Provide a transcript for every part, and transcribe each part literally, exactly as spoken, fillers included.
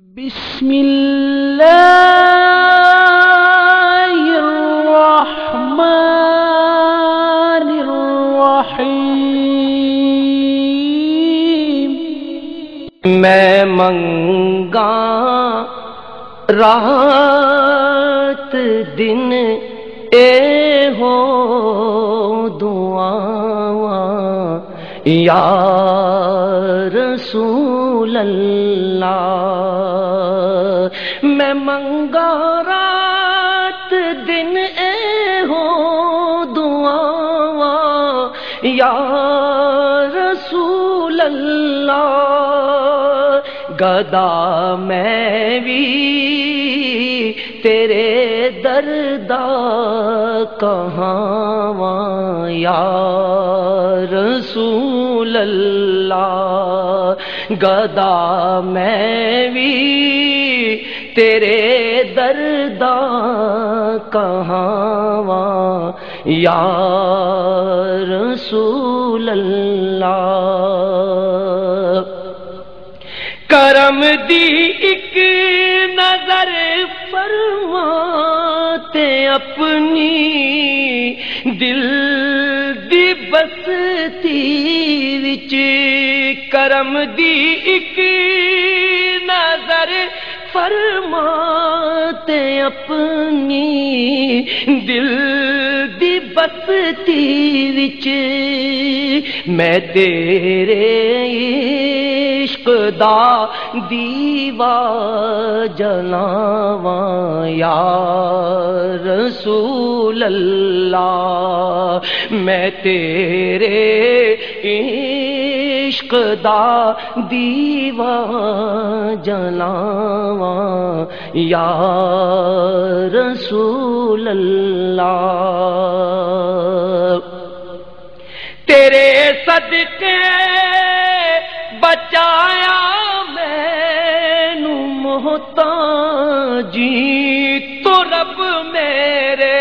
بسم اللہ الرحمن الرحیم۔ میں منگاں رات دن اے ہو دعاواں، یا رسول اللہ، میں منگاں رات دن اے ہو دعاواں، یا رسول اللہ، گدا میں وی تیرے در دا کہاواں، یا رسول اللہ، گدا میں وی تیرے در دا کہاواں، یا رسول اللہ۔ کرم دی اک نظر فرما تے اپنی دل دی بستی وچ، کرم دی اک نظر فرما تے اپنی دل دی بستی وچ، میں تیرے عشق دا دیوا جلاواں، یا رسول اللہ، میں تیرے عشق دا دیوا جلاواں، یا رسول اللہ۔ تیرے صدقے بچایا مینوں محتاجی تو رب میرے۔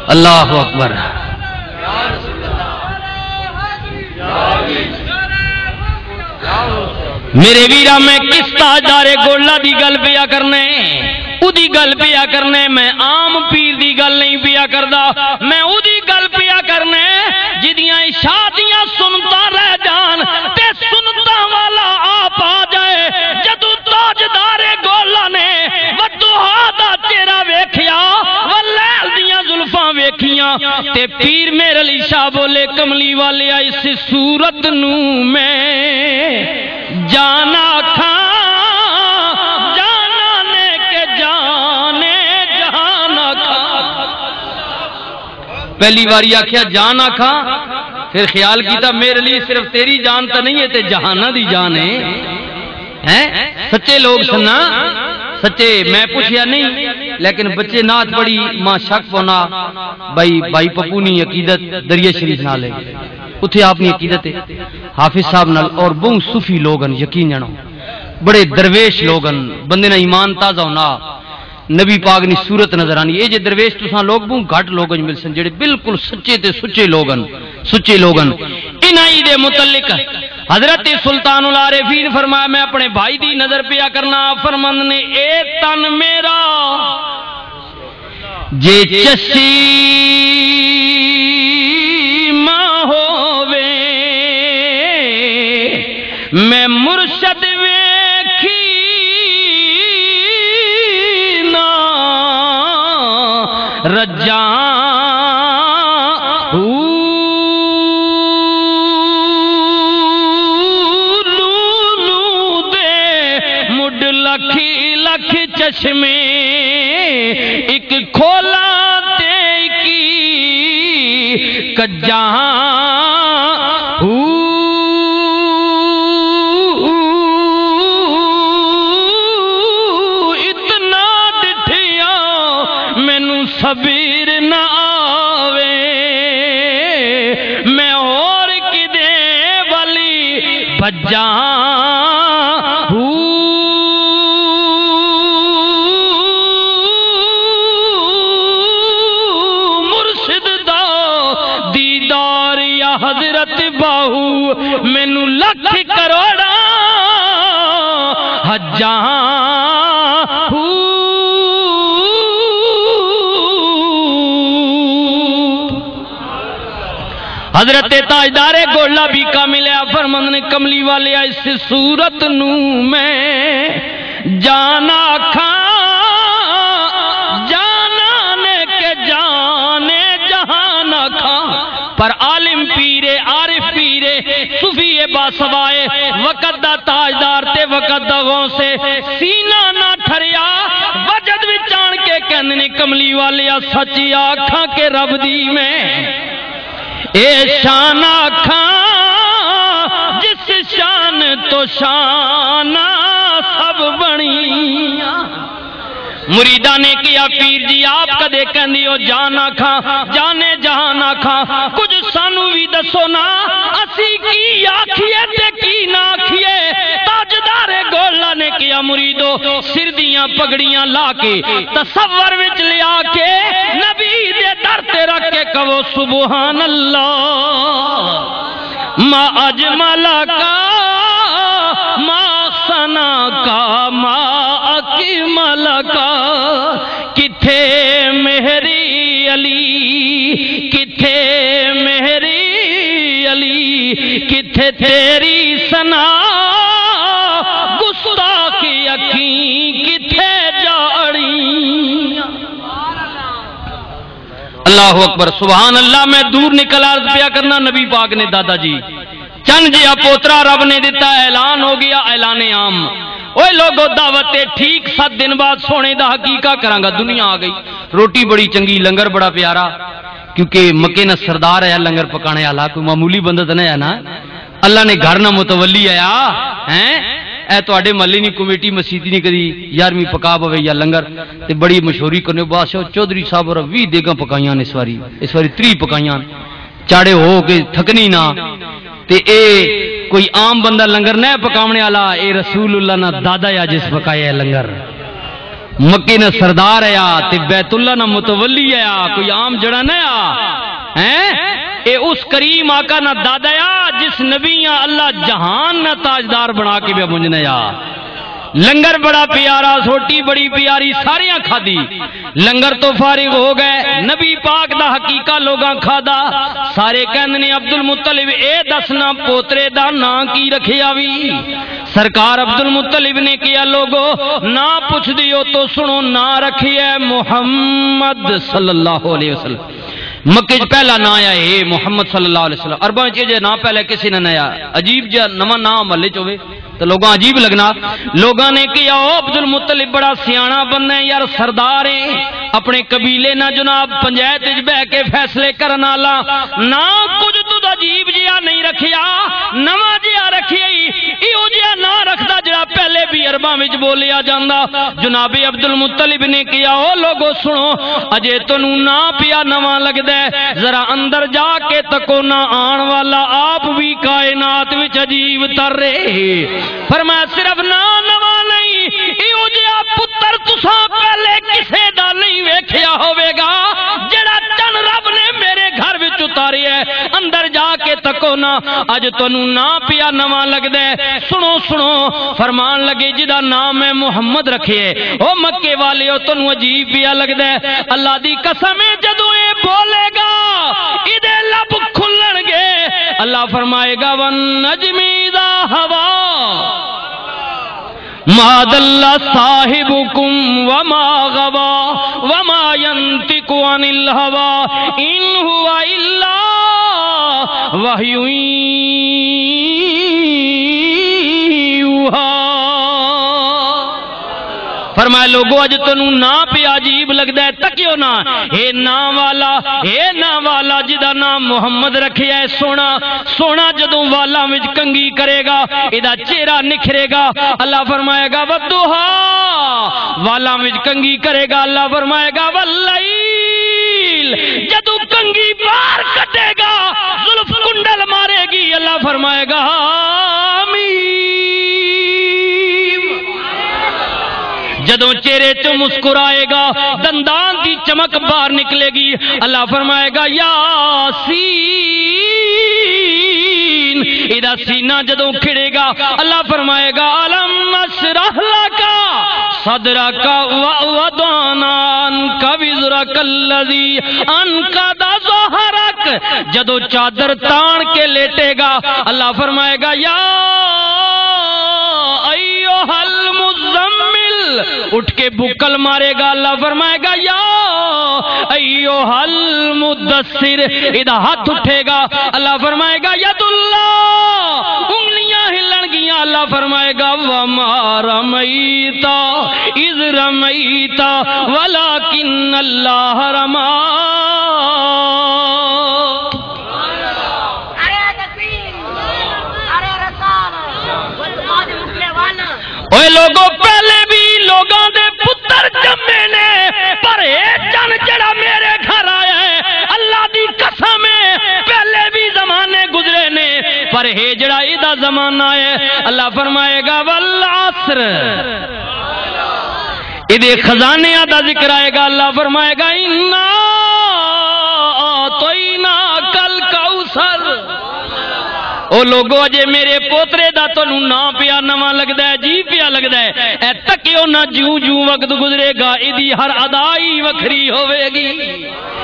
اللہ اکبر۔ میرے ویرا، میں کس تاجدار گولا دی گل پیا کرنے، اودی گل پیا کرنے، میں عام پیر دی گل نہیں پیا کردا، میں اودی گل پیا کرنے جدیاں عشاء دیاں سنتاں رہ جان تے سنتاں والا آپ آ جائے۔ جدوں تاجدار گولا نے ودوہا دا چہرہ ویکھیا، ولیل دیاں زلفاں ویکھیاں، تے پیر مہر علی شاہ بولے، "کملی والیا، اس صورت نو میں جان آکھاں، جاناں نے کہ جانے جہان آکھاں۔" پہلی واری آکھیا، "جان آکھاں۔" پھر خیال کیتا، "میرے لیے صرف تیری جان تو نہیں ہے، تے جہاناں دی جان ہے۔" ہیں؟ سچے لوگ سننا، سچے۔ میں پوچھیا نہیں، لیکن بچے نعت پڑھی، ماں شک پونا، بھائی، بھائی پپو نی عقیدت دریا شریف نال ہے۔ اتھے آپ نی عقیدت ہے حافظ صاحب نال، اور بہوں صوفی لوگ ہن، یقین جانو، بڑے درویش لوگ ہن، بندے نا ایمان تازہ ہونا، نبی پاک نی صورت نظر آنی۔ اے جے درویش تساں لوگ بہوں گھٹ لوگ مل سن جڑے بالکل سچے تے سچے لوگ ہن، سچے لوگ ہن۔ انہاں ہی دے متعلق حضرت سلطان العارفین فرمایا، میں اپنے بھائی دی نظر پیا کرنا، فرمند نے، اے تن میرا جے چشمہ ہووے، میں مرشد ویکھی نہ رجاں۔ لولو دے مڈ لکھ لکھ چشمے، اک کھولا تے کی کجاں۔ اتنا ڈٹھیا مینوں صبر نہ آوے، میں ہور کدے والی بھجاں۔ مرشد دا دیدار یا حضرت باہو، مینوں لکھ کروڑاں حجاں۔ حضرت تاجدار گولا بھی کامل ہے، فرمند نے، کملی والے، اس صورت نو میں جان آکھاں، جانان کے جان جہان آکھاں، پر عالم پیرے، عارف پیرے، صوفی باسوائے، وقت دا تاجدار تے وقت دا غوث، سینہ نہ ٹھریا، وجد وچ آن کے کہندے نے، کملی والیا، سچ آکھاں کہ رب دی میں اے شان آکھاں، جس شان تو شان سب بنی۔ مریداں نے کیا، پیر جی، آپ کدے کہندے ہو جان آکھاں، جانے جہان آکھاں، کچھ سانو بھی دسو نا، اسی کی آکھیے تے کی نہ آکھیے؟ تاجدار گولا نے کیا، مریدو، سر دیاں پگڑیاں لا کے، تصور وچ لیا کے، نبی دے در تے رکھ کے کہو، سبحان اللہ، ما اجمل کا، ما سنا کا، ما اکمل کا۔ کتھے میری علی، کتھے میری علی، کتھے تیری ثنا، گستاخ اکھیں کتھے جاڑی۔ اللہ اکبر، سبحان اللہ۔ میں دور نکل عرض پیا کرنا، نبی پاک نے، دادا جی، چند جیا پوترا رب نے دتا، اعلان ہو گیا، اعلان عام۔ اوے لوگو، دعوت تے ٹھیک ست دن بعد سونے دا حقیقہ کراں گا، دنیا آ گئی، روٹی بڑی چنگی، لنگر بڑا پیارا، کیونکہ مکے نہ سردار ہے لنگر پکانے والا، کوئی معمولی بندہ تو نہیں ہے نا۔ اللہ نے گھر نہ متولی آیا، ہیں؟ اے تواڈے محلے نی کمیٹی مسیتی نی کدی یارویں پکا پوے یا لنگر، تے بڑی مشہوری کرنے، بادشاہ چودھری صاحب اور ویہہ دیگاں پکائیاں نے اس واری، اس واری تریہہ پکائیاں، چاڑے ہو کے تھکنی نہ۔ تے اے کوئی عام بندہ لنگر نہ پکاونے والا، اے رسول اللہ نہ دادا یا جس پکایا ہے لنگر۔ مکے نہ سردار آیا تے بیت اللہ نہ متولی آیا، کوئی عام جڑا نہ آ، ہیں؟ اے اس کریم آقا نہ دادا آ جس نبی آ اللہ جہان نہ تاجدار بنا کے بیا منجنا آ۔ لنگر بڑا پیارا، سوٹی بڑی پیاری، ساریاں کھادی۔ لنگر تو فارغ ہو گئے، نبی پاک دا حقیقہ لوگاں کھادا۔ سارے کہندے نے، عبد المطلب، اے دسنا پوترے دا ناں کی رکھیا وی؟ سرکار عبد المطلب نے کہیا، لوگو، ناں پوچھ دیو تو سنو، ناں رکھیا ہے محمد صلی اللہ علیہ وسلم۔ مکے چ پہلا ناں آیا ہے محمد صلی اللہ علیہ وسلم۔ عرباں چ یہ جہا ناں پہلے کسی نے نہ آیا۔ عجیب جہا نواں ناں محلے چ ہوے تے لوگاں عجیب لگنا۔ لوگاں نے کہیا، او عبد المطلب بڑا سیاݨا بندہ ہے یار، سردار ہے، اپنے قبیلے نہ جناب پنجایت وچ بہ کے فیصلے کرن والا۔ ناں کچھ تو عجیب جہا نہیں رکھیا، نواں جہا رکھیا ہی، ایہو جہا ناں رکھدا جڑا پہلے بھی عرباں وچ بولیا جاندا۔ جناب عبد المطلب نے کہیا، او لوگو سنو، اجے تانوں نہ پیا نواں لگدا ہے، ذرا اندر جا کے تکو نہ، آن والا آپ بھی کائنات وچ عجیب تر رہے۔ فرمایا، صرف نہ نواں نہیں، ایہو جہا پتر تساں پہلے کسے دا نہیں ویکھیا ہوے گا، جڑا چن رب نے میرے گھر وچ اتاریا ہے۔ اندر جا کے تکو نا، اج تانوں نہ پیا نواں لگدا ہے۔ سنو، سنو، فرمان لگے، جدا نام میں محمد رکھے ہے، او مکے والے، او تانوں عجیب پیا لگدا ہے۔ اللہ دی قسم ہے، جدوں اے بولے گا، ایدے لب کھلن گے۔ اللہ فرمائے گا، "والنجم اذا ہوا، ما ضل صاحبکم وما غوا، وما ينطق عن الهوى، ان هو الا وحی یوحی۔" فرمایا، لوگو، اج تانوں نہ پیا عجیب لگدا ہے، تکیو نہ۔ اے نہ والا، اے نہ والا جدا نام محمد رکھیا ہے، سونا، سونا جدوں والاں وچ کنگھی کرے گا، ایدا چہرہ نکھرے گا۔ اللہ فرمائے گا، "والضحیٰ"، والاں وچ کنگھی کرے گا۔ اللہ فرمائے گا، "واللیل"، جدوں کنگھی باہر کٹے گا، زلف کنڈل مارے گی، اللہ فرمائے گا، "آمین"۔ جدوں چہرے چوں مسکرائے گا، دندان دی چمک باہر نکلے گی، اللہ فرمائے گا، "یاسین"۔ ایدا سینہ جدوں کھڑے گا، اللہ فرمائے گا، "الم اشرح لک صدرک ووضعنا عنک وزرک الذی انقض ظہرک۔" جدوں چادر تان کے لیٹے گا، اللہ فرمائے گا، "یا ایھا المزمل۔" اٹھ کے بکل مارے گا، اللہ فرمائے گا، "یا ایھا المدثر۔" ادا ہاتھ اٹھے گا، اللہ فرمائے گا، "ید اللہ۔" انگلیاں ہلن گیاں، اللہ فرمائے گا، "وما رمیت اذ رمیت ولکن اللہ رمی۔" ارے تکبیر، ارے رسال، بس باز مکنے والا۔ اوے لوگو، پہلے بھی لوگاں دے پتر جمے نے، پر اے چن جڑا میرے گھر آیا ہے، اللہ دی قسم ہے، پہلے بھی زمانے گزرے نے، پر اے جڑا ایدا زمانہ ہے، اللہ فرمائے گا، "والعصر۔" ایدے خزانیاں دا ذکر آئے گا، اللہ فرمائے گا، "انا اعطیناک الکوثر۔" او لوگو، اجے میرے پوترے دا تانوں ناں پیا نواں لگدا ہے، جی پیا لگدا ہے۔ اے تکیو نہ، جوں جوں وقت گزرے گا، ایدی ہر ادا ہی وکھری ہوے گی،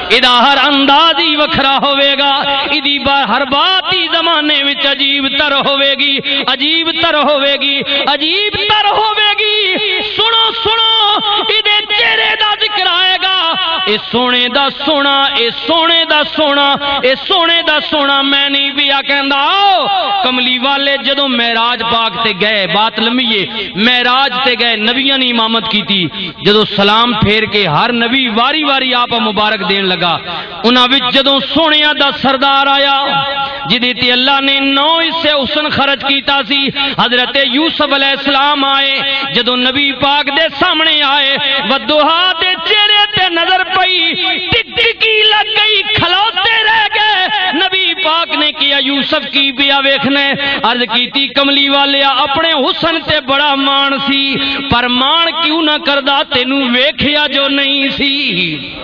ایدا ہر انداز ہی وکھرا ہوے گا، ایدی با-، ہر بات ہی زمانے وچ عجیب تر ہوے گی، عجیب تر ہوے گی، عجیب تر ہوے گی۔ سنو، سنو، ایدے چہرے دا ذکر آئے گا۔ اے سونے دا سونا، اے سونے دا سونا، اے سونے دا سونا، میں نہیں پیا کہندا۔ آؤ، کملی والے جدوں معراج پاک تے گئے، بات لمبی ہے، معراج تے گئے، نبیاں نے امامت کیتی۔ جدوں سلام پھیر کے ہر نبی واری واری آپ مبارک دین لگا، انہاں وچ جدوں سونیاں دا سردار آیا، جدی تے اللہ نے نو حصے حسن خرچ کیتا سی، حضرت یوسف علیہ السلام آئے۔ جدوں نبی پاک دے سامنے آئے، ودوہا دے چہرے تے نظر پئی، ٹک ٹکی لگ گئی، کھلوتے رہ گئے۔ نبی پاک نے کیا، "یوسف، کی پیا ویکھنا ہے؟" عرض کیتی، "کملی والیا، اپنے حسن تے بڑا مان سی، پر مان کیوں نہ کردا، تینوں ویکھیا جو نہیں سی۔"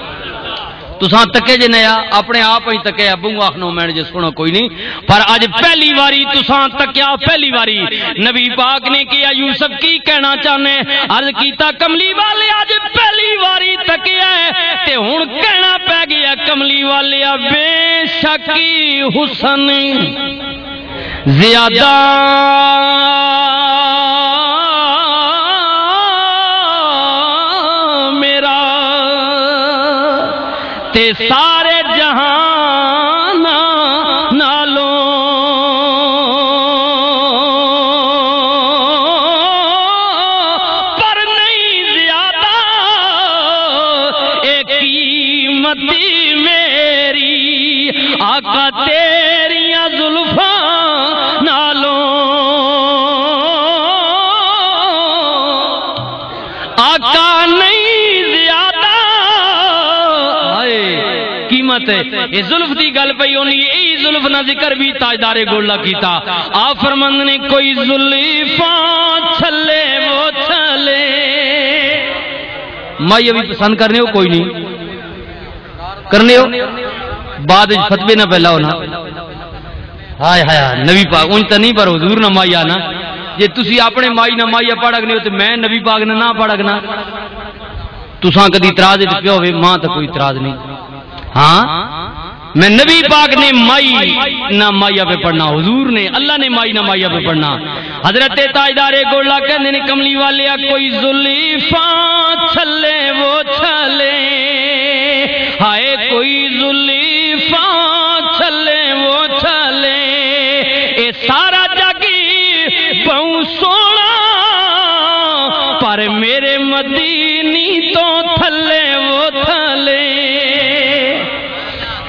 تساں تکے جے نیا، اپنے آپ ہی تکے، ابو آخنو میں جے سونا کوئی نہیں۔ پر اج پہلی واری تساں تکیا، پہلی واری۔ نبی پاک نے کہیا، "یوسف، کی کہنا چاہنے؟" عرض کیتا، "کملی والے، اج پہلی واری تکیا ہے، تے ہن کہنا پے گیا، کملی والے، بے شک حسن زیادہ میرا تے سارے جہان نالوں، پر نہیں زیادہ اے قیمت میری آقا تیریاں زلفاں نالوں۔" ہے۔ یہ زلف دی گل پئی ہونی، یہی زلف نہ ذکر بھی تاجدار گولا کیتا۔ آپ فرمند نے، کوئی زلفاں چھلے وہ چھلے۔ مائی ابھی پسند کرنے ہو کوئی نہیں؟ کرنے ہو؟ بعد وچ فتوے نہ پہلا ہونا۔ ہائے ہائے ہائے، نبی پاک اونج تے نہیں، پر حضور نہ مائی آنا۔ جے تسی اپنے مائی نہ مائی پڑھ اگنے ہو تے میں نبی پاک نہ نہ پڑھ اگنا۔ تساں کدی اعتراض تے پیا ہوے، ماں تے کوئی اعتراض نہیں۔ ہاں، میں نبی پاک نے مائی نہ مائی پہ پڑھنا، حضور نے، اللہ نے مائی نہ مائی پہ پڑھنا۔ حضرت تاجدار گولا کہندے نے، کملی والیا، کوئی زلیفاں چھلے وہ چھلے، ہائے کوئی زلیفاں چھلے وہ چھلے، اے سارا جگ بہوں سونا، پر میرے مدینی تو تھلے وہ تھلے۔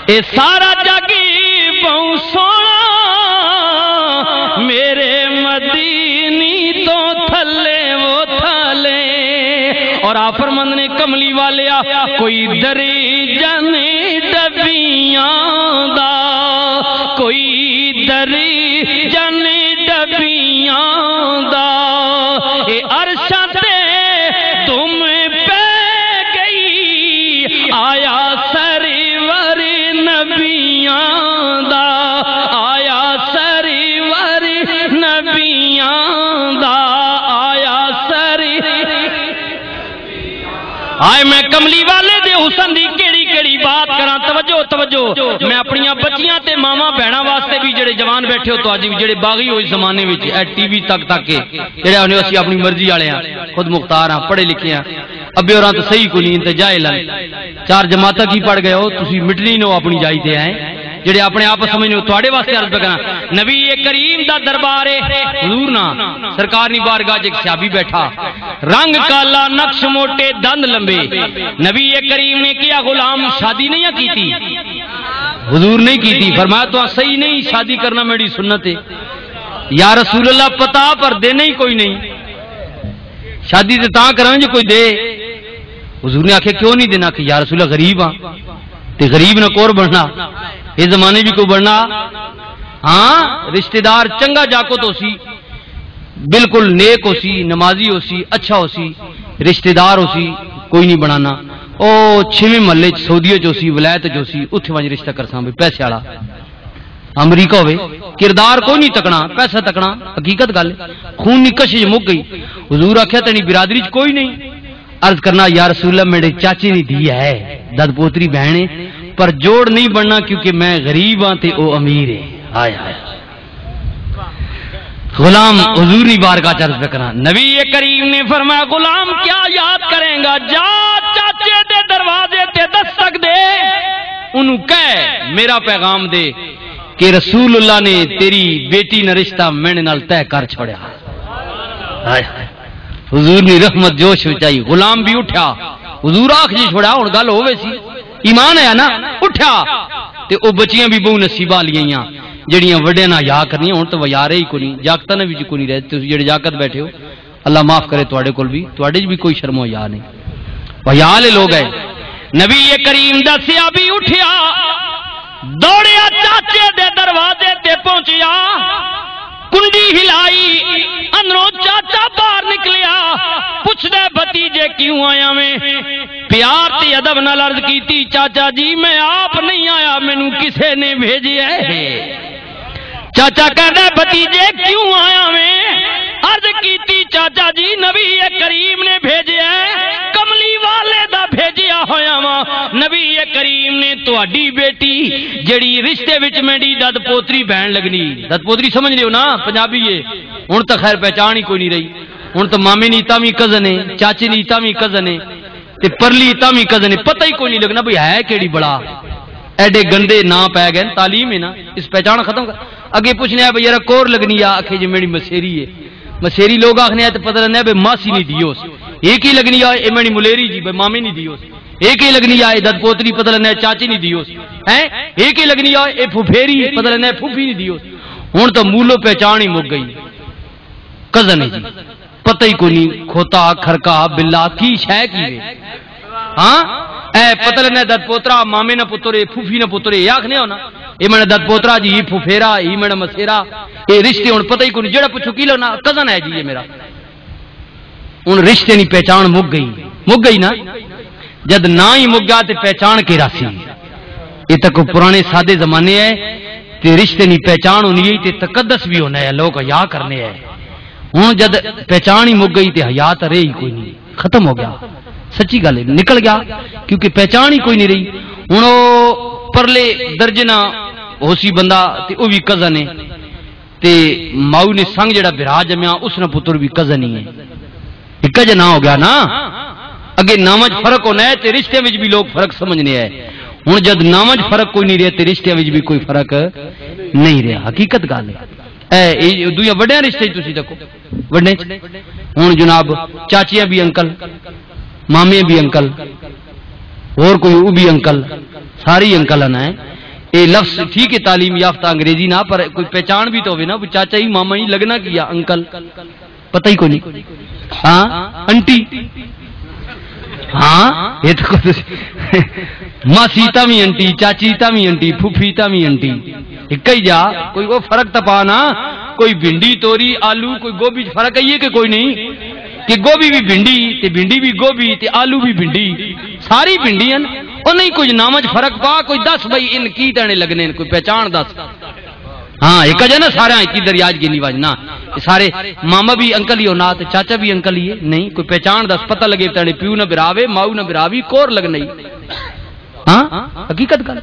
اے سارا جگ بہوں سونا، میرے مدینی تو تھلے وہ تھلے۔ اور آفرمند نے، کملی والیا، کوئی دری جن ڈبیاں دا، کوئی دری جن ڈبیاں دا، اے عرشاں تے تم پہ گئی، آیا سرور نبیاں دا، آیا سرور نبیاں دا، آیا سرور۔ آئے میں کملی والے دے حسن دی کیڑی کیڑی بات کراں۔ توجہ، توجہ۔ میں اپنیاں بچیاں تے ماواں بہناں واسطے بھی، جڑے جوان بیٹھے ہو، تو اج بھی جڑے باغی ہو اس زمانے وچ، اے ٹی وی تک تک کے، جڑے آنے اسی اپنی مرضی والے ہاں، خود مختار ہاں، پڑھے لکھے ہاں، ابے ہوراں تو صحیح کوئی نہیں، انت جاہل ہیں۔ چار جماعتاں کی پڑھ گئے ہو تسی، مٹنی نو اپنی جائی تے ہیں، جڑے اپنے آپ سمجھنے ہو۔ تواڈے واسطے عرض پہ کراں، نبی کریم دا دربار ہے، حضور نا، سرکار نی بارگاہ چ ایک صحابی بیٹھا، رنگ کالا، نقش موٹے، دند لمبے۔ نبی کریم نے کیا، غلام، شادی نہیں کیتی؟ حضور نہیں کیتی۔ فرمایا، تو صحیح نہیں، شادی کرنا میری سنت ہے۔ یا رسول اللہ، پتا پر دینا ہی کوئی نہیں۔ شادی تے تاں کراں جو کوئی دے۔ حضور نے آکھیا، کیوں نہیں دینا؟ کہ یا رسول اللہ، غریب ہاں، تے غریب نہ کور بننا، اس زمانے بھی کوئی بننا۔ ہاں، رشتہ دار چنگا جاکو تو سی، بالکل نیک ہو سی، نمازی ہو سی، اچھا ہو سی، رشتہ دار ہو سی، کوئی نہیں بنانا۔ او چھویں محلے چ، سعودیہ چ ہو سی، ولایت چ ہو سی، اتھے ونج رشتہ کرساں بھی پیسے والا۔ امریکہ ہوئے، کردار کوئی نہیں تکنا، پیسہ تکنا، حقیقت گل ہے۔ خون نی کشش مک گئی۔ حضور آکھیا، تیری برادری چ کوئی نہیں؟ عرض کرنا، یا رسول اللہ، میرے چاچے نی دھی ہے، دد پوتری بہن ہے، پر جوڑ نہیں بننا کیونکہ میں غریب ہاں تے او امیر ہے۔ ہائے ہائے۔ غلام حضور نی بارگاہ چ عرض پہ کراں۔ نبی کریم نے فرمایا، غلام، کیا یاد کریں گا؟ جا چاچے دے دروازے تے دستک دے، انہوں کہہ، میرا پیغام دے کہ رسول اللہ نے تیری بیٹی نہ رشتہ میرے نال طے کر چھوڑیا۔ ہائے ہائے۔ حضور نی رحمت جوش وچ آئی، غلام بھی اٹھیا۔ حضور آخ جی چھوڑا، ہن گل ہووے سی، ایمان آیا نا، اٹھیا۔ تے او بچیاں بھی بہوں نصیباں والیاں ہیاں، جڑیاں وڈیاں نال حیا کرنیاں۔ ہن تے حیا رہی کوئی نہیں، جاکتاں نے وچ کوئی نہیں رہے۔ تسی جڑے جاکت بیٹھے ہو، اللہ معاف کرے تواڈے کول بھی، تواڈے 'چ بھی کوئی شرم و حیا نہیں۔ حیا والے لوگ ہے۔ نبی کریم دا صحابی اٹھیا، دوڑیا چاچے دے دروازے تے پہنچیا، کنڈی ہلائی، اندروں چاچا باہر نکلیا، پوچھدا، بھتیجے کیوں آیا ویں؟ پیار تے ادب نال عرض کیتی، چاچا جی، میں آپ نہیں آیا، مینوں کسے نے بھیجیا ہے۔ چاچا کہندا، بھتیجے کیوں آیا ویں؟ عرض کیتی، چاچا جی، نبی کریم نے بھیجیا ہے، کملی والے دا بھیجیا ہویا واں۔ نبی کریم نے تہاڈی بیٹی جڑی رشتے وچ میری دد پوتری بہن لگنی، دد پوتری سمجھ لیو نا، پنجابی ہے۔ ہن تاں خیر پہچان ہی کوئی نہیں رہی۔ ہن تاں مامی نی تاں وی کزن ہے، چاچی نی تاں وی کزن ہے، تے پرلی تاں وی کزن ہے، پتہ ہی کوئی نہیں لگنا بھئی ہے کیڑی بلا۔ ایڈے گندے ناں پے گئے، تعلیم ہے نا، اس پہچان ختم کر۔ اگے پوچھنے آ بھئی یار کور لگنی آ، آکھے جی میری مسیری ہے۔ مسیری لوگ آکھنے آ تے پتہ لگنا بھئی ماسی نہیں دیوس۔ یہ کی لگنی آ، اے میری ملیری جی، بھئی مامی نہیں دیوس۔ یہ کی لگنی آ، اے دد پوتری، پتہ لگنا چاچی نہیں دیوس۔ ہیں؟ یہ کی لگنی آ، اے پھپھیری، پتہ لگنا پھپھی نہیں دیوس۔ ہن تو مولو پہچان ہی مک گئی۔ کزن ہے جی، پتہ ہی کوئی نہیں، کھوتا، کھرکا، بلا، کی شے کی ہے۔ ہاں، اے پتہ لگنا دد پوترا، مامے نہ پتر، اے پھوپھی نہ پتر، اے آکھنے ہو نا، اے میرا دد پوترا جی، اے پھوپھیرا، اے میرا مسیرا، اے رشتے ہن پتہ ہی کوئی نہیں، جیڑا پچھو کی لگنا، کزن ہے جی اے میرا۔ ہن رشتے نی پہچان مک گئی، مک گئی نا۔ جد نہ ہی مک گیا تے پہچان کے راسی؟ اے تک پرانے سادے زمانے ہے، تے رشتے نی پہچان ہونی ہے تے تقدس بھی ہونا ہے، لوگ حیا کرنے ہے۔ ہن جد پہچان ہی مک گئی تے حیا تے رہی کوئی نہیں، ختم ہو گیا۔ سچی گل ہے، نکل گیا، کیونکہ پہچان ہی کوئی نہیں رہی۔ ہن او پرلے درجے نہ ہو سی بندہ، تے او بھی کزن ہے، تے ماؤ نے سنگ جڑا بھرا جمیا، اس نہ پتر بھی کزن ہی ہے۔ اکا جا نہ ہو گیا نا۔ اگے ناواں 'چ فرق ہونا ہے تے رشتیاں وچ بھی لوگ فرق سمجھنے ہے۔ ہن جد ناواں 'چ فرق کوئی نہیں رہیا تے رشتیاں وچ بھی کوئی فرق نہیں رہیا۔ حقیقت گل ہے۔ اے، اے دویاں وڈیاں رشتے 'چ تسی تکو، وڈے 'چ۔ ہن جناب، چاچیاں بھی انکل، مامے بھی انکل، اور کوئی او بھی انکل، سارے ہی انکل ہیں۔ اے لفظ ٹھیک ہے، تعلیم یافتہ انگریزی نہ، پر کوئی پہچان بھی تو ہوے نا، کوئی چاچا ہی، ماما ہی، لگنا کی آ انکل؟ پتہ ہی کوئی نہیں۔ ہاں، انٹی۔ ہاں، یہ تو کچھ ماسی تاں وی انٹی، چاچی تاں وی انٹی، پھوپھی تاں وی انٹی۔ اکا ہی جا، کوئی وہ فرق تاں پا نا، کوئی بھنڈی، توری، آلو، کوئی گوبھی 'چ فرق ہے یہ کہ کوئی نہیں؟ کہ گوبھی بھی بھنڈی، تے بھنڈی بھی گوبھی، تے آلو بھی بھنڈی، ساری بھنڈی ہیں۔ او نہیں، کچھ نام 'چ فرق پا، کوئی دس بھائی ان کی تینے لگنے، کوئی پہچان دس۔ ہاں، ایک اجے نا سارا ایک ہی دریا 'چ گنی وجنا۔ یہ سارے ماما بھی انکل ہی ہونا، تے چاچا بھی انکل ہی ہے۔ نہیں، کوئی پہچان دس، پتہ لگے تینے پیو نہ براوے، ماؤ نہ براوی، کور لگنے۔ ہاں، حقیقت گل۔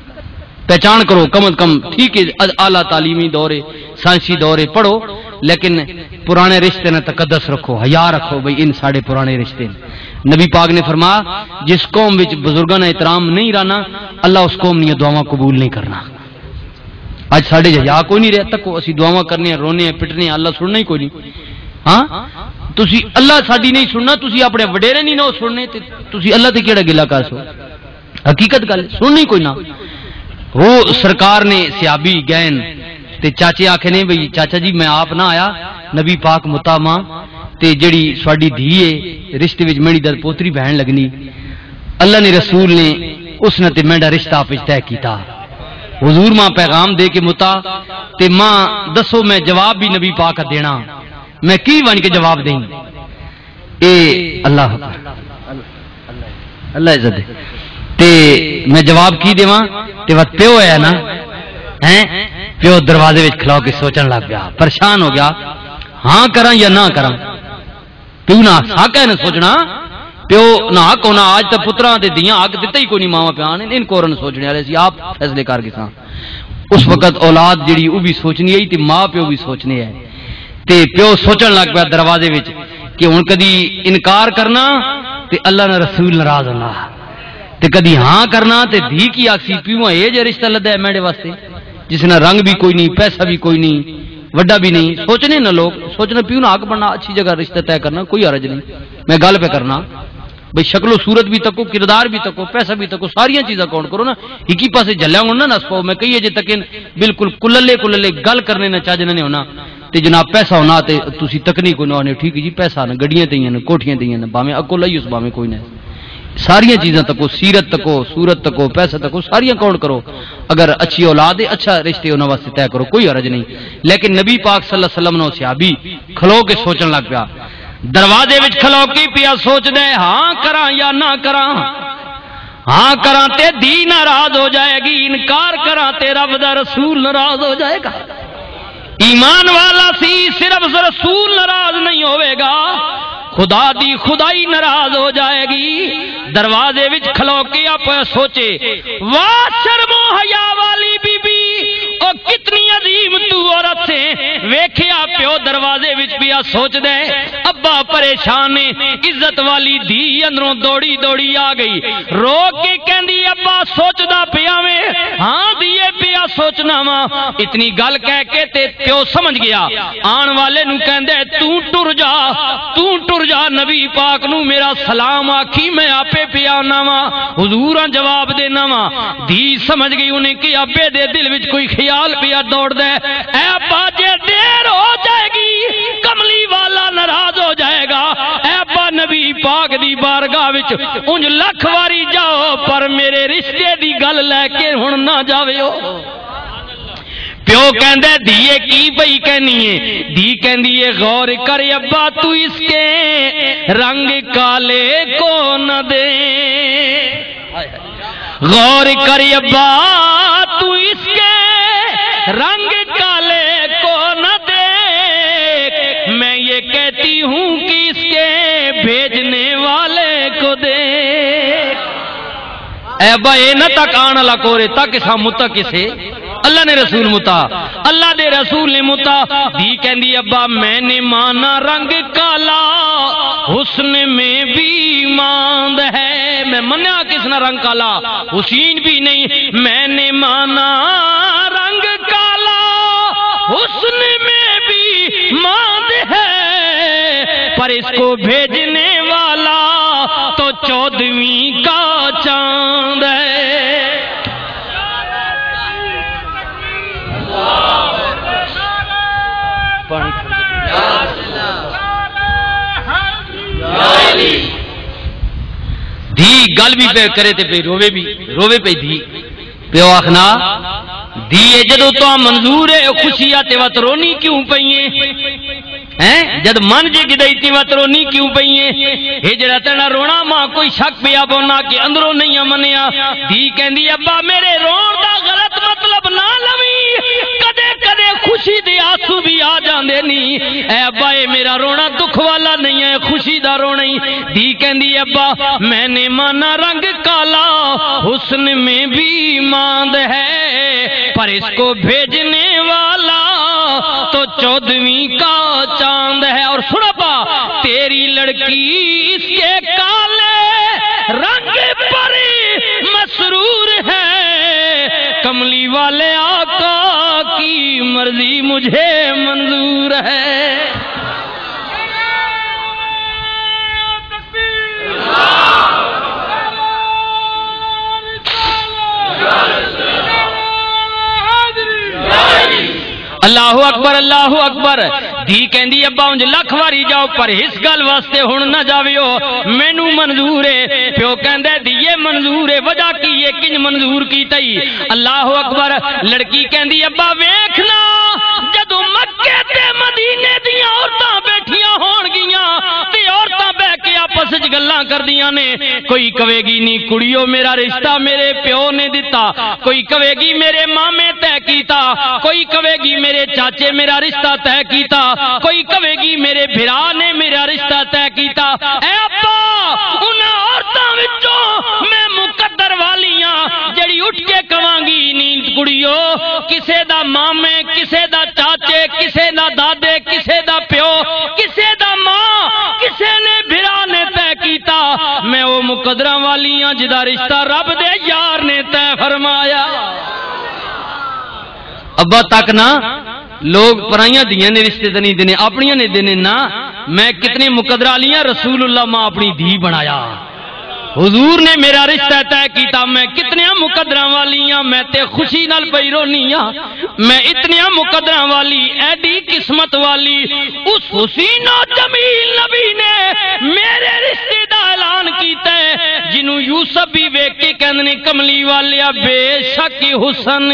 پہچان کرو کم از کم، ٹھیک ہے، اعلیٰ تعلیمی دور ہے، سائنسی دور ہے، پڑھو، لیکن پرانے رشتے نہ تقدس رکھو، حیا رکھو، بھئی ان ساڈے پرانے رشتے نے۔ نبی پاک نے فرمایا، جس قوم وچ بزرگاں نہ احترام نہیں رہنا، اللہ اس قوم نیاں دعاواں قبول نہیں کرنا۔ اج ساڈے حیا کوئی نہیں رہیا، تکو اسی دعاواں کرنے ہیں، رونے ہیں، پٹنے ہیں، اللہ سننا ہی کوئی نہیں۔ ہاں، تسی اللہ ساڈی نہیں سننا، تسی اپنے وڈیرے نہیں نہ سننے، تے تسی اللہ تے کیڑا گلا کر سو؟ حقیقت گل سننی کوئی نہ۔ وہ سرکار نے صحابی گئے تے چاچے آکھے نے، بھئی چاچا جی، میں آپ نہ آیا، نبی پاک متا ماں تے جڑی سواڈی دھی ہے، رشتے وچ میری در پوتری بہن لگنی۔ اللہ نے رسول نے اس نے تے میرا رشتہ آپ وچ طے کیتا۔ حضور ماں پیغام دے کے متا تے ماں دسو میں جواب بھی نبی پاک دینا، میں کی بن کے جواب دیں؟ اے اللہ اکبر۔ اللہ عزت دے۔ تے میں جواب کی دیواں؟ تے وقت پیو ہے نا، ہیں؟ پیو دروازے وچ کھلو کے سوچن لگ پیا، پریشان ہو گیا، ہاں کراں یا نہ کراں؟ پیو نہ حق ہے نہ سوچنا، پیو نہ حق ہونا۔ آج تے پتراں تے دیاں حق دتا ہی کوئی نہیں، ماواں پیاں نے ان کورن سوچنے والے سی، آپ فیصلے کر گساں۔ اس وقت اولاد جڑی او بھی سوچنی ہے تے ماں پیو بھی سوچنے ہے۔ تے پیو سوچن لگ پیا دروازے وچ کہ ہن کدی انکار کرنا تے اللہ نہ رسول ناراض ہونا، تے کدی ہاں کرنا تے دھی کی آکسی، پیو اے جے رشتہ لدا ہے میرے واسطے، جس نہ رنگ بھی کوئی نہیں، پیسہ بھی کوئی نہیں، وڈا بھی نہیں۔ سوچنے نہ لوگ، سوچنا پیو نہ حق بننا، اچھی جگہ رشتہ طے کرنا، کوئی حرج نہیں۔ میں گل پہ کرنا، بھئی شکل و صورت بھی تکو، کردار بھی تکو، پیسہ بھی تکو، ساریاں چیزاں کاؤنٹ کرو نا۔ ہکی پاسے جھلیا ہونا نس پاؤ۔ میں کئی اجے تک ان بالکل کللے کللے گل کرنے نہ چاجنے نے ہونا۔ تے جناب پیسہ ہونا تے تسی تکنی کوئی نہ ہونے، ٹھیک ہے جی، پیسہ نہ گڈیاں تے ہی ہیں، کوٹھیاں تے ہی ہیں، بھاویں اکو لئی اس بھاویں کوئی نہ۔ ساریاں چیزاں تکو، سیرت تکو، صورت تکو، پیسہ تکو، ساریاں کاؤنٹ کرو۔ اگر اچھی اولاد ہے، اچھا رشتے انہاں واسطے طے کرو، کوئی حرج نہیں۔ لیکن نبی پاک صلی اللہ علیہ وسلم نو صحابی کھلو کے سوچن لگ پیا۔ دروازے وچ کھلو کے پیا سوچدا ہے، ہاں کراں یا نہ کراں؟ ہاں کراں تے دی ناراض ہو جائے گی، انکار کراں تے رب دا رسول ناراض ہو جائے گا۔ ایمان والا سی، صرف رسول ناراض نہیں ہوئے گا، خدا دی خدائی ناراض ہو جائے گی۔ دروازے وچ کھلو کے آپ سوچے، واہ شرم و حیا والی بی بی، او کتنی عظیم تو عورت سے۔ ویکھیا پیو دروازے وچ پیا سوچدا ہے، ابا پریشان نے، عزت والی دھی اندروں دوڑی دوڑی آ گئی، رو کے کہندی، ابا سوچدا پیا ویں؟ ہاں دیے پیا سوچنا وا۔ اتنی گل کہہ کے تے پیو سمجھ گیا۔ آن والے نو کہندا ہے، توں ٹر جا، توں ٹر جا، نبی پاک نو میرا سلام آکھی، میں آپے پیا آنا وا، حضوراں جواب دینا وا۔ دھی سمجھ گئی انہیں کہ ابے دے دل وچ کوئی خیال پیا دوڑدا ہے۔ اے ابا جے دیر ہو جائے گی، کملی والا ناراض ہو جائے گا۔ اے ابا نبی پاک دی بارگاہ وچ انج لکھ واری جاؤ، پر میرے رشتے دی گل لے کے ہن نہ جاویو۔ پیو کہندا ہے، "دھیے کی پئی کہنی ہے؟" دھی کہندی ہے، "غور کر ابا، تو اس کے رنگ کالے کو نہ دے۔" غور کر ابا، تو اس کے رنگ کالے کو نہ دیکھ، میں یہ کہتی ہوں کہ اس کے بھیجنے والے کو دیکھ۔ اے ابا، اے نہ تک آن والا کورے، تک سا متک اسے۔ اللہ نے رسول متا، اللہ دے رسول نے متا۔ دھی کہندی، "ابا، میں نے مانا رنگ کالا، حسن میں بھی ماند ہے۔" میں منیا کس نہ رنگ کالا، حسین بھی نہیں۔ میں نے مانا رنگ کالا، حسن میں بھی ماند ہے، پر اس کو بھیجنے والا تو چودہویں کا چاند ہے۔ دھی گل بھی پہ کرے تے پہ روے بھی، روے پہ دھی۔ پیو آخنا، دھی اے جدوں تو منظور ہے، خوشی آ تے وت رونی کیوں پئی ہے؟ ہیں؟ جد من جے گدائی تے وت رونی کیوں پئی ہے؟ اے جڑا تیرا رونا ماں کوئی شک پیا بونا کہ اندروں نہیں منیا۔ دھی کہندی، "ابا، میرے رون دا غلط مطلب نہ لوی، کدے کدے خوشی دے آنسو بھی آ جاندے نی۔ اے ابا، اے میرا رونا دکھ والا نہیں ہے، خوشی دا رونا ہی۔" دھی کہندی، "ابا، میں نے مانا رنگ کالا، حسن میں بھی ماند ہے، پر اس کو بھیجنے والا تو چودہویں کا چاند ہے۔" اور سن ابا، تیری لڑکی اس کے کالے رنگ پر مسرور ہے، کملی والے آقا کی مرضی مجھے منظور ہے۔ اللہ اکبر، اللہ اکبر۔ دھی کہندی، "ابا، اونج لکھ واری جاؤ، پر اس گل واسطے ہن نہ جاویو، مینوں منظور ہے۔" پیو کہندا ہے، "دھیے، منظور ہے، وجہ کی ہے، کنج منظور کیتا ای؟" اللہ اکبر۔ لڑکی کہندی، "ابا، ویکھنا، جدوں مکے تے مدینے دیاں عورتاں بیٹھیاں ہون گیاں تے عورتاں بہ کے آپس وچ گلاں کردیاں نے، کوئی کہے گی، 'نہیں کڑیو، میرا رشتہ میرے پیو نے دتا۔' کوئی کہے گی، 'میرے مامے طے کیتا۔' کوئی کہے گی، 'میرے چاچے میرا رشتہ طے کیتا۔' کوئی کہے گی، 'میرے بھرا نے میرا رشتہ طے کیتا۔' اے ابا، انہاں عورتاں وچوں میں مقدر والیاں جڑی اٹھ کے کہاں گی، 'نہیں کڑیو، کسے دا مامے، کسے دا چاچے، کسے دا دادے، کسے دا پیو، کسے دا ماں، کسے نے بھرا نے طے کیتا، میں او مقدراں والیاں جدا رشتہ رب دے یار نے طے فرمایا۔'" ابا تک نہ، لوگ پرائیاں دیاں نے رشتے تے نہیں دینے، اپنیاں نے دینے نہ۔ میں کتنے مقدر والیاں رسول اللہ ماں اپنی دھی بنایا۔ حضور نے میرا رشتہ طے کیتا، میں کتنیاں مقدراں والیاں، میں تے خوشی نال پئی رونی آ۔ میں اتنیاں مقدراں والی، ایڈی قسمت والی، اس حسین و جمیل نبی نے میرے رشتے دا اعلان کیتا ہے، جنوں یوسف بھی ویکھ کے کہندے نے، "کملی والیا، بے شک حسن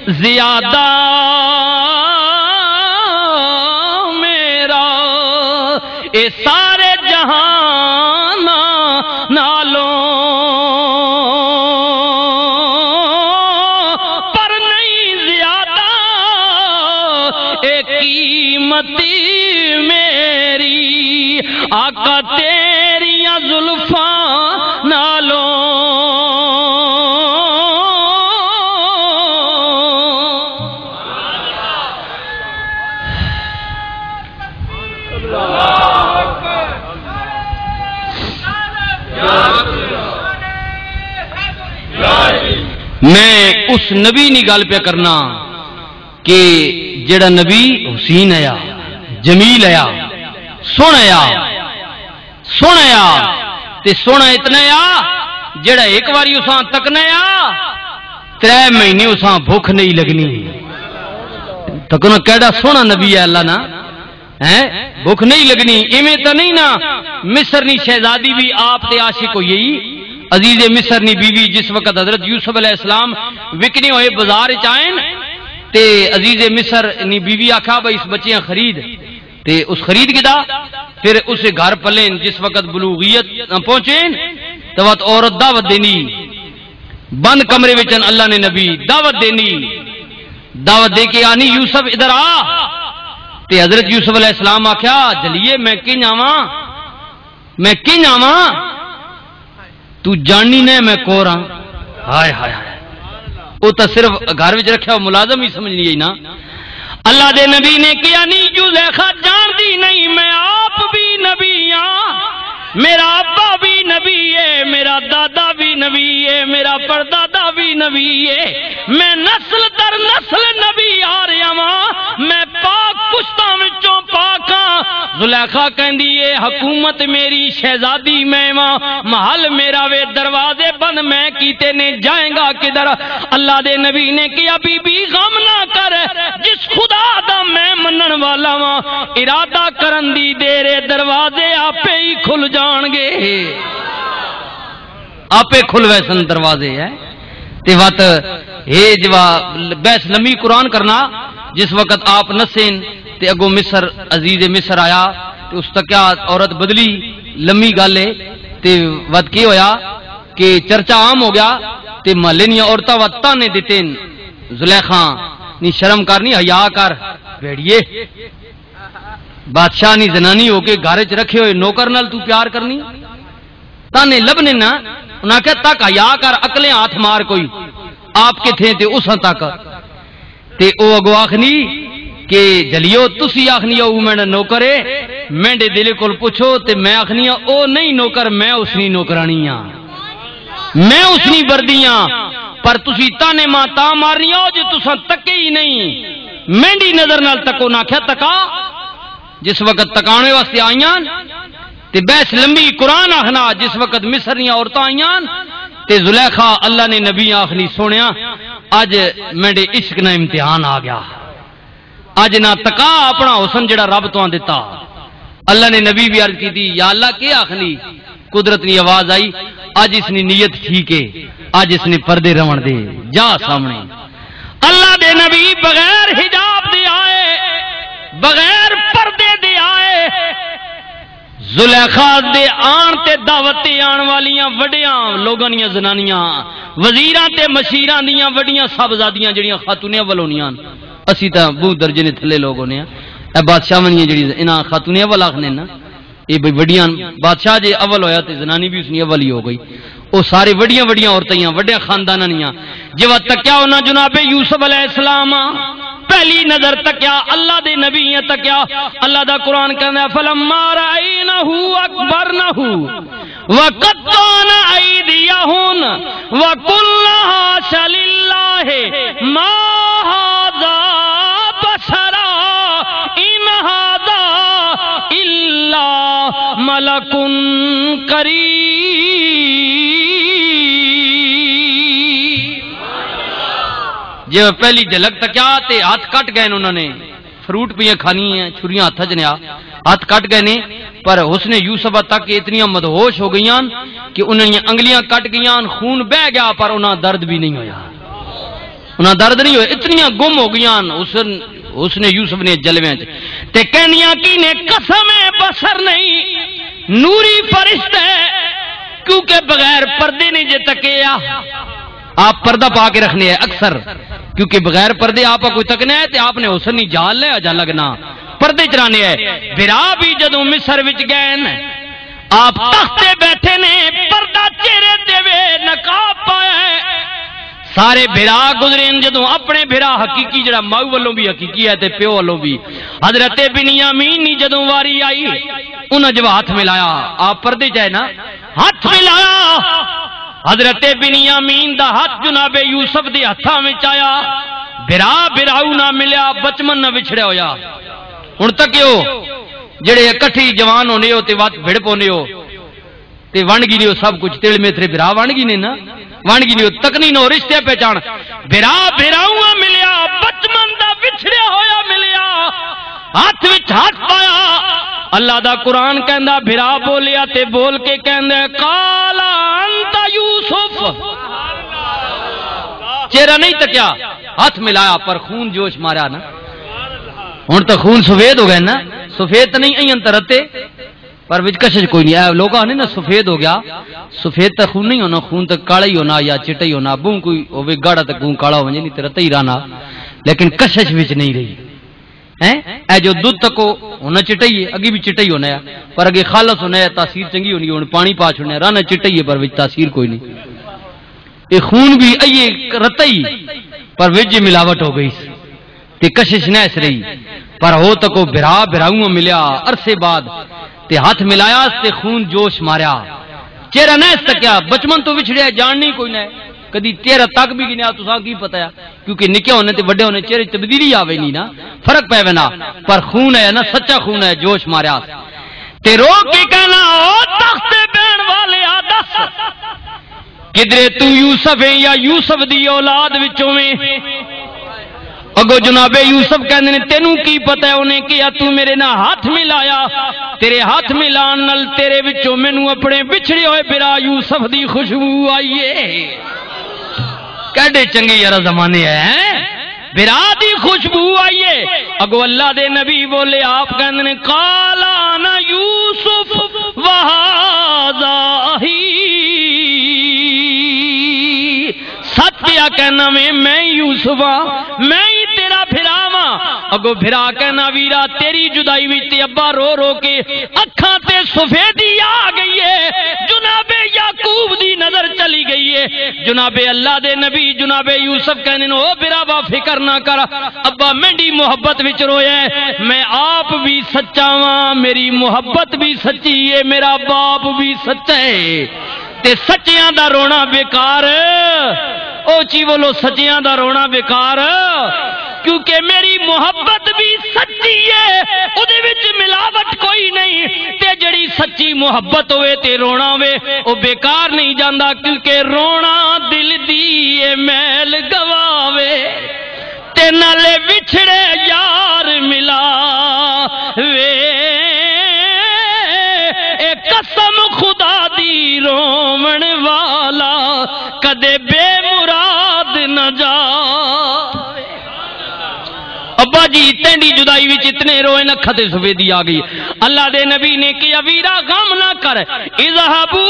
زیادہ میرا، اے سارے جہان نالوں پر نہیں زیادہ، اے قیمت میری آقا تیریاں زلفاں نالوں۔" میں اس نبی نی گل پیا کرنا کہ جڑا نبی حسین آیا، جمیل آیا، سوہنا آیا، سوہنا آیا، تے سوہنا اتنا آیا، جڑا ایک واری اساں تکنا آیا، ترے مہینے اساں بھوک نہیں لگنی۔ تکنا کیڑا سوہنا نبی ہے اللہ نا۔ ہیں؟ بھوک نہیں لگنی، ایویں تاں نہیں نا؟ مصر نی شہزادی بھی آپ تے عاشق ہوئی۔ عزیز مصر نی بیوی جس وقت حضرت یوسف علیہ السلام وکنے ہوئے بازار چ آئے تے عزیز مصر نی بیوی آکھا، "بھائی، اس بچیاں خرید۔" تے اس خرید کیتا۔ پھر اس گھر پلین جس وقت بلوغیت نہ پہنچے، تو وقت عورت دعوت دینی، بند کمرے وچ اللہ نے نبی دعوت دینی، دعوت دے کے آنی، "یوسف، ادھر آ۔" تے حضرت یوسف علیہ السلام آکھیا، "جلیے، میں کن آواں؟ میں کن آواں؟ تو جاننی نہ میں کور ہاں۔" ہائے ہائے ہائے، وہ تو صرف گھر وچ رکھیا ہوا ملازم ہی سمجھنی ہے نا۔ اللہ دے نبی نے کہیا، "نہیں، زلیخا جان دی نہیں، میں آپ بھی نبی ہاں، میرا ابا بھی نبی ہے، میرا دادا بھی نبی ہے، میرا پردادا بھی نبی ہے، میں نسل در نسل نبی آ رہا ہاں، میں پاک پشتاں وچوں پاک ہاں۔" زلیخا کہندی اے، "حکومت میری، شہزادی میں واں، محل میرا وے، دروازے بند میں کیتے نے، جائیں گا کدھر؟" اللہ دے نبی نے کہیا، "بی بی، غم نہ کر، جس خدا دا میں منن والا واں، ارادہ کرن دی دیر اے، دروازے آپے ہی کھل جان گے۔" آپے کھل ویسن دروازے ہے۔ تے وت ہے جوا بحث لمبی قرآن کرنا، جس وقت آپ نسین تے اگوں مصر، عزیز مصر آیا تے اس تکیا عورت بدلی، لمبی گل ہے۔ تے وت کی ہویا کہ چرچا عام ہو گیا تے محلے نیاں عورتاں وت تانے دتے، "زلیخا، نی شرم کر، نی حیا کر، بھیڑیے، بادشاہ نی زنانی ہو کے گھر وچ رکھے ہوئے نوکر نال تو پیار کرنی؟" تانے لبنے نا، انہاں آکھیا، "تک حیا کر، اکلے ہاتھ مار کوئی، آپ کتھے تے اساں تک۔" تے او اگو آخنی کہ، "جلیو، تسی آخنی او میرا نوکر ہے، میرے دل کول پوچھو تے میں آخنی ہاں، او نہیں نوکر، میں اس نی نوکرانی ہاں، میں اس نی وردی ہاں، پر تسی تانے ماں تاں مارنی ہو جو تساں تکے ہی نہیں، میری نظر نال تکو نہ آکھیا تکا۔" جس وقت تکانے واسطے آئیاں تے بحث لمبی قرآن آخنا، جس وقت مصر دیاں عورتاں آئیاں تے زلیخا اللہ نے نبی آخنی، "سونیا، اج میرے عشق نہ امتحان آ گیا، اج نہ تکا اپنا حسن جڑا رب تو دتا۔" اللہ نے نبی بھی عرض کی تھی، "یا اللہ، کے آخنی؟" قدرت نی آواز آئی، "اج اس نی نیت ٹھیک ہے، اج اس نے پردے رون دے، جا سامنے۔" اللہ دے نبی بغیر حجاب دے آئے، بغیر پردے دے آئے۔ زلیخا دے آن تے دعوت تے آن والیاں وڈیاں لوگاں دیاں زنانیاں، وزیراں تے مشیراں دیاں وڈیاں صاحبزادیاں جڑیاں خاتون اول ہونیاں ہن۔ اسی تاں بہت درجے نے تھلے لوگ ہونے ہاں۔ اے بادشاہ ونیاں جڑی انہاں خاتون اول آخنے نا، اے بھئی وڈیاں، بادشاہ جے اول ہویا تے زنانی بھی اس نے اول ہی ہو گئی۔ او سارے وڈیاں وڈیاں عورتاں ہیاں، وڈیاں خانداناں نیاں۔ جے وقت تکیا انہاں جناب یوسف علیہ السلام، پہلی نظر تکیا، اللہ دے نبی ہیں تکیا۔ اللہ دا قرآن کہندا ہے، "فلما رأینہ اکبرنہ وقطعن ایدیہن وقلن حاش للہ ما ھذا بشرا ان ھذا الا ملک کریم۔" جے پہلی جھلک تکیا تے ہاتھ کٹ گئے انہاں نے، فروٹ پیاں کھانی ہیں، چھریاں ہاتھ چ نیا، ہاتھ کٹ گئے نے، پر حسن یوسف تک اتنیاں مدہوش ہو گئیاں کہ انہاں دیاں انگلیاں کٹ گئیاں، خون بہ گیا، پر انہاں درد بھی نہیں ہویا۔ انہاں درد نہیں ہوئے، اتنیاں گم ہو گئیاں حسن، حسن یوسف نے جلویاں چ۔ تے کہنیاں کی نے، "قسم بشر نہیں، نوری فرشتہ ہے، کیونکہ بغیر پردے نہیں جے تکیا۔" آپ پردہ پا کے رکھنے ہیں اکثر، کیونکہ بغیر پردے آپ کوئی تکنا ہے تے آپ نے حسن نہیں جال لے جا لگنا، پردے چرانے ہے۔ بھرا بھی جدوں مصر وچ گئے نے، آپ تخت تے بیٹھے نے، پردہ چہرے تے وے، نقاب پایا ہے۔ سارے بھرا گزرے نے، جدوں اپنے بھرا حقیقی جڑا ماؤ والوں بھی حقیقی ہے تے پیو والوں بھی، حضرت بنیامین نی جدوں واری آئی، انہاں جو ہاتھ ملایا، آپ پردے چ ہے نا، ہاتھ ملایا۔ حضرت بنیامین دا ہاتھ جناب یوسف دے ہتھاں وچ آیا۔ بھرا بھراؤ نہ ملیا، بچمن نہ وچھڑیا ہویا۔ ہن تکیو، جڑے اکٹھی جوان ہونے ہو تے وت بھڑ پونے ہو تے ونڈ گھنی ہو، سب کچھ تیل میتھرے بھرا ونڈ گھنے نا، ونڈ گھنی ہو، تکنی نو رشتے پہچان۔ بھرا بھراؤ ملیا، بچمن دا وچھڑیا ہویا ملیا، ہاتھ وچ ہاتھ پایا، اللہ دا قرآن کہندا، بھرا بولیا تے بول کے کہندا، "قال انت یوسف۔" چہرہ نہیں تکیا، ہاتھ ملایا، پر خون جوش ماریا نا۔ ہن تاں خون سفید ہو گئے نا، سفید تاں نہیں، این تاں رتے، پر وچ کشش کوئی نہیں۔ اے لوگ آنے نا، سفید ہو گیا، سفید تاں خون نہیں ہونا، خون تاں کالا ہی ہونا یا چٹا ہی ہونا۔ بہوں کوئی ہوے گاڑا تاں خون کالا ہو جائے، نہیں تے رتے ہی رہنا، لیکن کشش وچ نہیں رہی۔ ہیں؟ اے جو دودھ تکو ہونا چٹا ہی ہے، اگے بھی چٹا ہی ہونا ہے، پر اگے خالص ہونا ہے، تاثیر چنگی ہونی ہے۔ ہن پانی پا چھوڑنا ہے، رہنا چٹا ہی ہے، پر وچ تاثیر کوئی نہیں۔ یہ خون بھی ایے رتا ہی، پر وچ یہ ملاوٹ ہو گئی سی۔ تے کشش نہ اس رہی، پر ہو تکو بھرا بھراؤں ملیا عرصے بعد، تے ہاتھ ملایا تے خون جوش ماریا۔ چہرہ نہ اس تکیا، بچپن تو وچھڑیا، جان نہیں کوئی نہ، کدی چہرہ تک بھی گنیا، تساں کی پتہ ہے؟ کیونکہ نکے ہونے تے وڈے ہونے چہرے تبدیلی آوے نہیں نا، فرق پے وینا۔ پر خون ہے نا، سچا خون ہے، جوش ماریا۔ تے رو کے کہنا، "او تخت بہن والے آ، دس، کدرے تو یوسف ہے یا یوسف دی اولاد وچوں ویں؟" اگو جناب یوسف کہندے نے، "تینوں کی پتہ ہے انہیں کیا تو میرے نال ہاتھ ملایا؟ تیرے ہاتھ ملان نال تیرے وچوں مینوں اپنے بچھڑے ہوئے بھرا یوسف دی خوشبو آئی ہے۔" کیڈے چنگے یارا زمانے ہیں، بھرا دی خوشبو آئی ہے۔ اگو اللہ دے نبی بولے، آپ کہندے نے، "قال انا یوسف وہذا اخی۔" سچ پیا کہنا میں، میں ہی یوسف ہاں، میں ہی تیرا بھرا واں۔ اگو بھرا کہنا، ویرا، تیری جدائی وچ تے ابا رو رو کے اکھاں تے سفیدی آ گئی ہے۔ جناب یعقوب دی نظر چلی گئی ہے۔ جناب اللہ دے نبی جناب یوسف کہندے نے، "او بھراوا، فکر نہ کر، ابا مینڈی محبت وچ رویا ہے، میں آپ بھی سچا واں، میری محبت بھی سچی ہے، میرا باپ بھی سچا ہے۔" تے سچیاں دا رونا بیکار۔ او چی بولو، سچیاں دا رونا بیکار، کیونکہ میری محبت بھی سچی ہے، اودے وچ ملاوٹ کوئی نہیں۔ تے جڑی سچی محبت ہوئے تے رونا ہوئے، او بیکار نہیں جاندا، کیونکہ رونا دل دی اے میل گواوے۔ تے نالے وچھڑے یار ملا وے، اے قسم خدا دی روون والا کدے بے مراد نہ جا۔ ابا جی، تینڈی جدائی وچ اتنے روئے، نکھاں تے سفیدی آ گئی۔ اللہ دے نبی نے کہیا، "ویرا، غم نہ کر، اذهبوا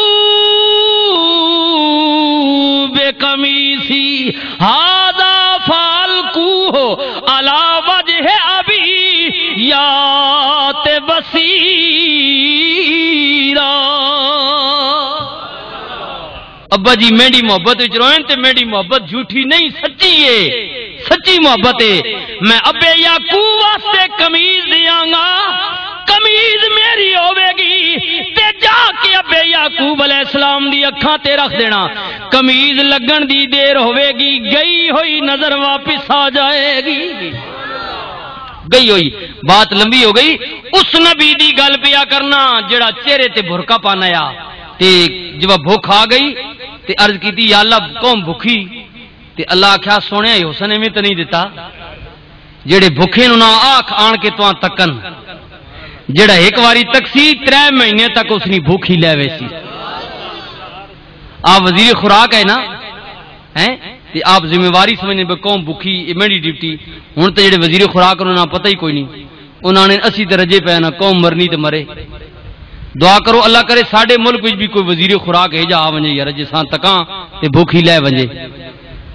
بقميصي هذا فألقوه على وجه أبي يأت بصيرا۔" ابا جی میری محبت وچ روئن تے میری محبت جھوٹی نہیں، سچی ہے، سچی محبت ہے۔ میں ابے یعقوب واسطے قمیض دیاں گا، قمیض میری ہوے گی، تے جا کے ابے یعقوب علیہ السلام دی اکھاں تے رکھ دینا۔ قمیض لگن دی دیر ہوے گی، گئی ہوئی نظر واپس آ جائے گی۔ گئی ہوئی، بات لمبی ہو گئی۔ اس نبی دی گل پیا کرنا جڑا چہرے تے برقع پانا آ۔ تے جب بھوک آ گئی تے عرض کیتی، "یا اللہ، قوم بھوکی۔" تے اللہ آکھیا، "سونے، حسن ایویں تے نہیں دتا، جڑے بھوکے نوں نہ آکھ آن کے تواں تکن، جڑا ایک واری تکسی، ترے مہینے تک اس نی بھوک ہی لے ویسی۔" آپ وزیر خوراک ہے نا، ہیں؟ تے آپ ذمہ واری سمجھنے پہ قوم بھوکی، یہ میری ڈیوٹی۔ ہن تے جڑے وزیر خوراک انہاں نوں پتہ ہی کوئی نہیں۔ انہاں نے اسی تے رجے پے نا، قوم مرنی تے مرے۔ دعا کرو اللہ کرے ساڈے ملک وچ بھی کوئی وزیر خوراک ہے جا آ ونجے یار، جساں تکاں تے بھوک ہی لے ونجے۔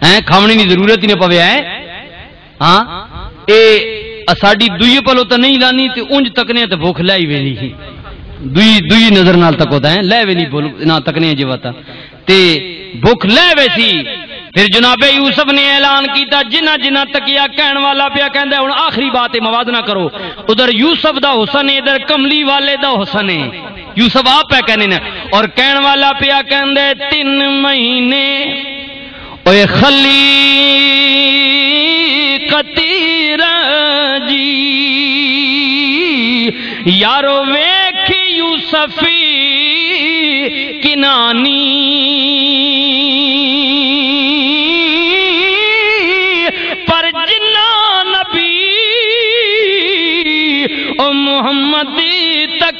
ہیں؟ کھاونی دی ضرورت ہی نہ پوے، ہیں؟ ہاں، اے اساڈی دوئی پلو تے نہیں لانی تے اونج تکنے تے بھوک لے ہی وینی ہی۔ دوئی، دوئی نظر نال تکو تے لے وینی بول، نہ تکنے جے وتا۔ تے بھوک لے ویسی۔ پھر جناب یوسف نے اعلان کیتا، جنہ جنہ تکیا کہن والا پیا کہندا ہے، ہن آخری بات ہے، موازنہ کرو۔ ادھر یوسف دا حسن ہے، ادھر کملی والے دا حسن ہے۔ یوسف آپ پہ کہنے نے، اور کہن والا پیا کہندا ہے، تین مہینے اوئے خلیقتی رنجی، یارو ویکھ یوسفی کنانی۔ پر جنہ نبی او محمد تک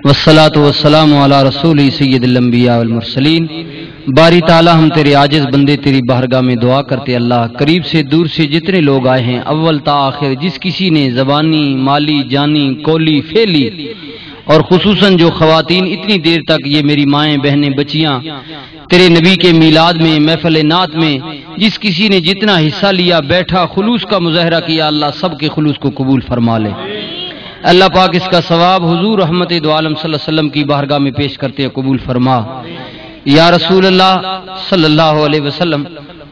والصلاة والسلام علی رسول سید الانبیاء والمرسلین۔ باری تعالیٰ، ہم تیرے عاجز بندے تیری بارگاہ میں دعا کرتے، اللہ، قریب سے دور سے جتنے لوگ آئے ہیں، اول تا آخر، جس کسی نے زبانی، مالی، جانی، کولی، فعلی، اور خصوصاً جو خواتین اتنی دیر تک، یہ میری مائیں، بہنیں، بچیاں، تیرے نبی کے میلاد میں، محفل نعت میں، جس کسی نے جتنا حصہ لیا، بیٹھا، خلوص کا مظاہرہ کیا، اللہ سب کے خلوص کو قبول فرما لے۔ اللہ پاک اس کا ثواب حضور رحمت دو عالم صلی اللہ علیہ وسلم کی بارگاہ میں پیش کرتے ہیں، قبول فرما۔ یا رسول اللہ صلی اللہ علیہ وسلم،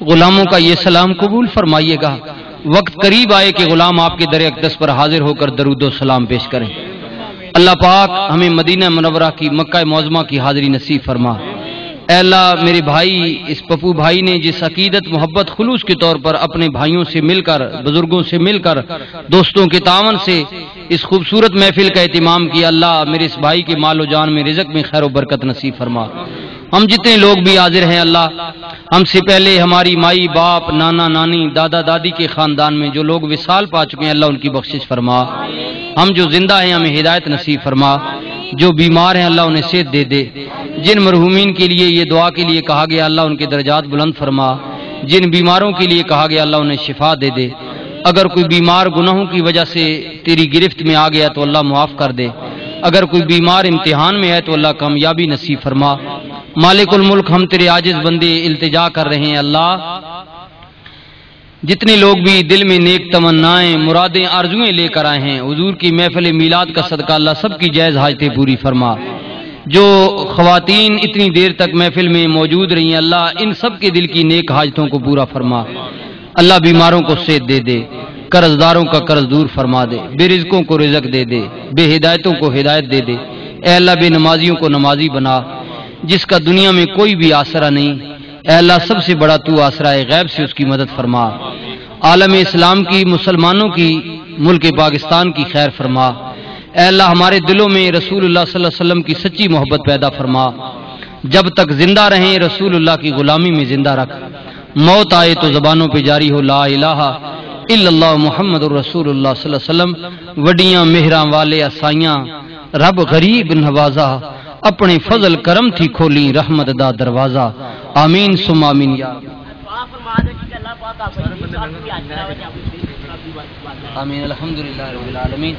غلاموں کا یہ سلام قبول فرمائیے گا۔ وقت قریب آئے کہ غلام آپ کے در اقدس پر حاضر ہو کر درود و سلام پیش کریں۔ اللہ پاک ہمیں مدینہ منورہ کی، مکہ معظمہ کی حاضری نصیب فرما۔ اے اللہ، میرے بھائی، اس پپو بھائی نے جس عقیدت، محبت، خلوص کے طور پر اپنے بھائیوں سے مل کر، بزرگوں سے مل کر، دوستوں کے تعاون سے اس خوبصورت محفل کا اہتمام کیا، اللہ، میرے اس بھائی کے مال و جان میں، رزق میں خیر و برکت نصیب فرما۔ ہم جتنے لوگ بھی حاضر ہیں، اللہ، ہم سے پہلے ہماری مائی، باپ، نانا، نانی، دادا، دادی کے خاندان میں جو لوگ وصال پا چکے ہیں، اللہ، ان کی بخشش فرما۔ ہم جو زندہ ہیں، ہمیں ہدایت نصیب فرما۔ جو بیمار ہیں، اللہ، انہیں صحت دے دے۔ جن مرحومین کے لیے یہ دعا کے لیے کہا گیا، اللہ، ان کے درجات بلند فرما۔ جن بیماروں کے لیے کہا گیا، اللہ، انہیں شفا دے دے۔ اگر کوئی بیمار گناہوں کی وجہ سے تیری گرفت میں آ گیا تو اللہ معاف کر دے۔ اگر کوئی بیمار امتحان میں ہے تو اللہ کامیابی نصیب فرما۔ مالک الملک، ہم تیرے عاجز بندے التجا کر رہے ہیں، اللہ، جتنے لوگ بھی دل میں نیک تمنائیں، مرادیں، آرزوئیں لے کر آئے ہیں، حضور کی محفل میلاد کا صدقہ، اللہ، سب کی جائز حاجتیں پوری فرما۔ جو خواتین اتنی دیر تک محفل میں موجود رہی ہیں، اللہ، ان سب کے دل کی نیک حاجتوں کو پورا فرما۔ اللہ، بیماروں کو صحت دے دے، قرض داروں کا قرض دور فرما دے، بے رزقوں کو رزق دے دے، بے ہدایتوں کو ہدایت دے دے۔ اے اللہ، بے نمازیوں کو نمازی بنا، جس کا دنیا میں کوئی بھی آسرا نہیں۔ اے اللہ، سب سے بڑا تو آسرا ہے، غیب سے اس کی مدد فرما۔ عالم اسلام کی، مسلمانوں کی، ملک پاکستان کی خیر فرما۔ اے اللہ، ہمارے دلوں میں رسول اللہ صلی اللہ علیہ وسلم کی سچی محبت پیدا فرما۔ جب تک زندہ رہیں، رسول اللہ کی غلامی میں زندہ رکھ۔ موت آئے تو زبانوں پہ جاری ہو لا الہ الا اللہ محمد رسول اللہ صلی اللہ علیہ وسلم۔ وڈیاں مہراں والے اسائیاں، رب غریب نوازا، اپنے فضل کرم تھی کھولی رحمت دا دروازہ۔ آمین ثم آمین یا رب۔ آمین، الحمدللہ رب العالمین۔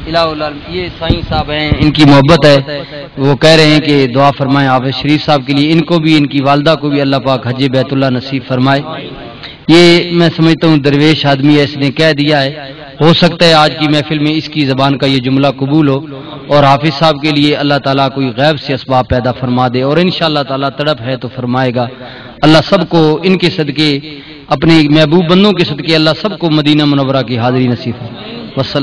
الہ العالمین۔ یہ سائیں صاحب ہیں، ان کی محبت ہے، وہ کہہ رہے ہیں کہ دعا فرمائیں حافظ شریف صاحب کے لیے، ان کو بھی، ان کی والدہ کو بھی اللہ پاک حج بیت اللہ نصیب فرمائے۔ یہ میں سمجھتا ہوں درویش آدمی ہے، اس نے کہہ دیا ہے۔ ہو سکتا ہے آج کی محفل میں اس کی زبان کا یہ جملہ قبول ہو اور حافظ صاحب کے لیے اللہ تعالیٰ کوئی غیب سے اسباب پیدا فرما دے، اور انشاءاللہ تعالیٰ تڑپ ہے تو فرمائے گا۔ اللہ سب کو ان کے صدقے، اپنے محبوب بندوں کے صدقے، اللہ سب کو مدینہ منورہ کی حاضری نصیب فرمائے۔ وسلم۔